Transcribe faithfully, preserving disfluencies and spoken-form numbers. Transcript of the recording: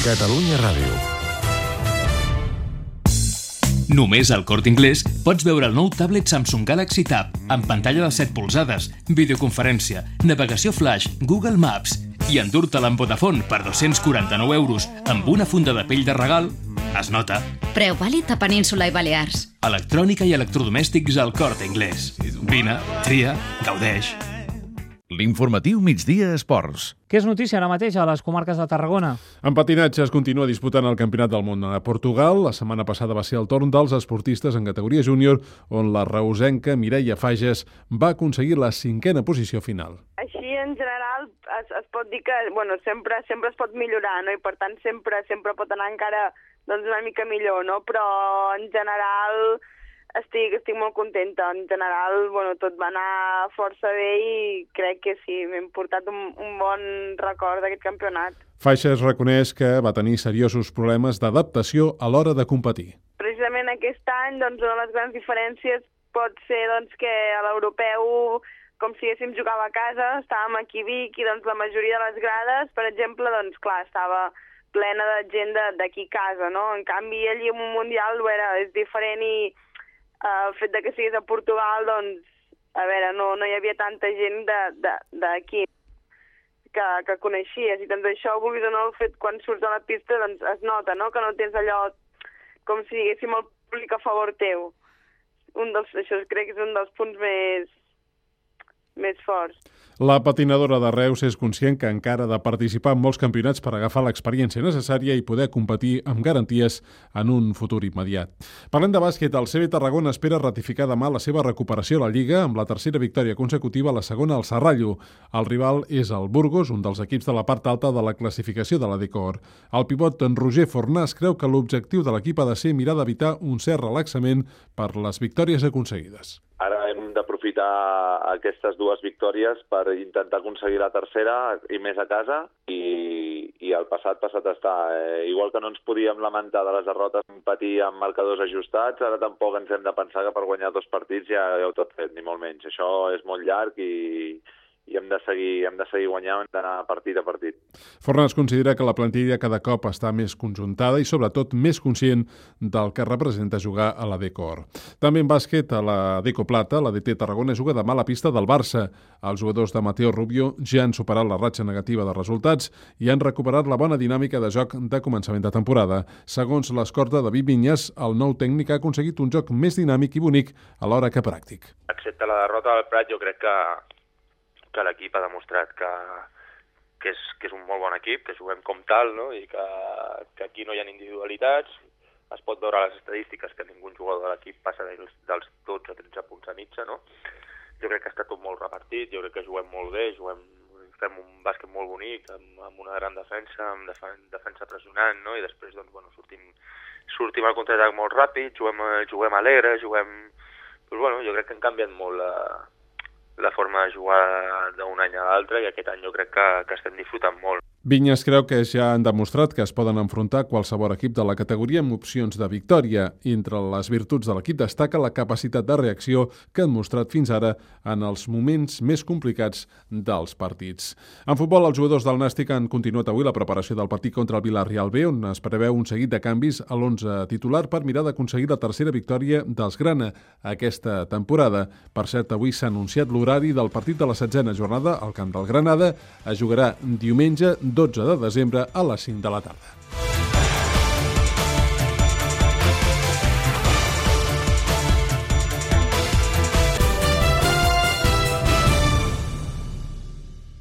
Catalunya Ràdio. Només al Corte Inglés pots veure el nou tablet Samsung Galaxy Tab amb pantalla de set polzades, videoconferència, navegació flash, Google Maps i endur-te'l amb Vodafone per dos-cents quaranta-nou euros amb una funda de pell de regal. Es nota. Preu vàlid a Península i Balears. Electrònica i electrodomèstics al Corte Inglés. Vine, tria, gaudeix. L'informatiu Migdia Esports. Què és notícia ara mateix a les comarques de Tarragona? En patinatge es continua disputant el Campionat del Món a Portugal. La setmana passada va ser el torn dels esportistes en categoria júnior, on la reusenca Mireia Fages va aconseguir la cinquena posició final. Així, en general, es, es pot dir que bueno, sempre sempre es pot millorar, no? I per tant sempre sempre pot anar encara doncs, una mica millor, no? Però en general estic, estic molt contenta. En general, bueno, tot va anar força bé i crec que sí, m'he portat un, un bon record d'aquest campionat. Fages reconeix que va tenir seriosos problemes d'adaptació a l'hora de competir. Precisament aquest any, doncs, una de les grans diferències pot ser doncs, que a l'europeu, com si haguéssim jugat a casa, estàvem aquí a Vic i doncs, la majoria de les grades, per exemple, doncs, clar, estava plena de gent d'aquí a casa, no? En canvi, allí en un mundial ho era, és diferent i Uh, el fet de que siguis a Portugal, doncs, a veure, no, no hi havia tanta gent d'aquí que, que coneixies, i doncs això, vulguis o no, el fet quan surts a la pista, doncs es nota, no?, que no tens allò com si diguéssim el públic a favor teu. Un dels, això crec que és un dels punts més, més forts. La patinadora de Reus és conscient que encara ha de participar en molts campionats per agafar l'experiència necessària i poder competir amb garanties en un futur immediat. Parlem de bàsquet, el C B Tarragona espera ratificar demà la seva recuperació a la Lliga amb la tercera victòria consecutiva, la segona al Serrallo. El rival és el Burgos, un dels equips de la part alta de la classificació de la Decor. El pivot en Roger Fornàs creu que l'objectiu de l'equip ha de ser mirar d'evitar un cert relaxament per les victòries aconseguides. Ara hem d'aprofitar aquestes dues victòries per intentar aconseguir la tercera i més a casa i, i el passat passat està. Eh, igual que no ens podíem lamentar de les derrotes patir amb marcadors ajustats, ara tampoc ens hem de pensar que per guanyar dos partits ja heu tot fet, ni molt menys. Això és molt llarg i, i hem de seguir, hem de seguir guanyant, hem d'anar partit a partit. Fornàs considera que la plantilla cada cop està més conjuntada i sobretot més conscient del que representa jugar a la Decor. També en bàsquet, a la Deco Plata, la D T Tarragona juga demà a la pista del Barça. Els jugadors de Mateo Rubio ja han superat la ratxa negativa de resultats i han recuperat la bona dinàmica de joc de començament de temporada. Segons l'escorta David Vinyes, el nou tècnic ha aconseguit un joc més dinàmic i bonic alhora que pràctic. Excepte la derrota del Prat, jo crec que que l'equip ha demostrat que, que, és, que és un molt bon equip, que juguem com tal, no? I que, que aquí no hi ha individualitats. Es pot veure a les estadístiques que ningú jugador de l'equip passa dels, dels dotze o tretze punts a mitja, no? Jo crec que està tot molt repartit, jo crec que juguem molt bé, juguem, fem un bàsquet molt bonic, amb, amb una gran defensa, amb defen, defensa pressionant, no? I després doncs, bueno, sortim, sortim al contraatac molt ràpid, juguem, juguem alegre, juguem... Pues, bueno, jo crec que han canviat molt la... la forma de jugar d'un any a l'altre i aquest any jo crec que, que estem disfrutant molt. Vinyes creu que ja han demostrat que es poden enfrontar qualsevol equip de la categoria amb opcions de victòria. Entre les virtuts de l'equip destaca la capacitat de reacció que han mostrat fins ara en els moments més complicats dels partits. En futbol, els jugadors del Nàstic han continuat avui la preparació del partit contra el Villarreal B, on es preveu un seguit de canvis a l'onze titular per mirar d'aconseguir la tercera victòria dels Grana aquesta temporada. Per cert, avui s'ha anunciat l'horari del partit de la setzena jornada al camp del Granada. Es jugarà diumenge dotze de desembre a les cinc de la tarda.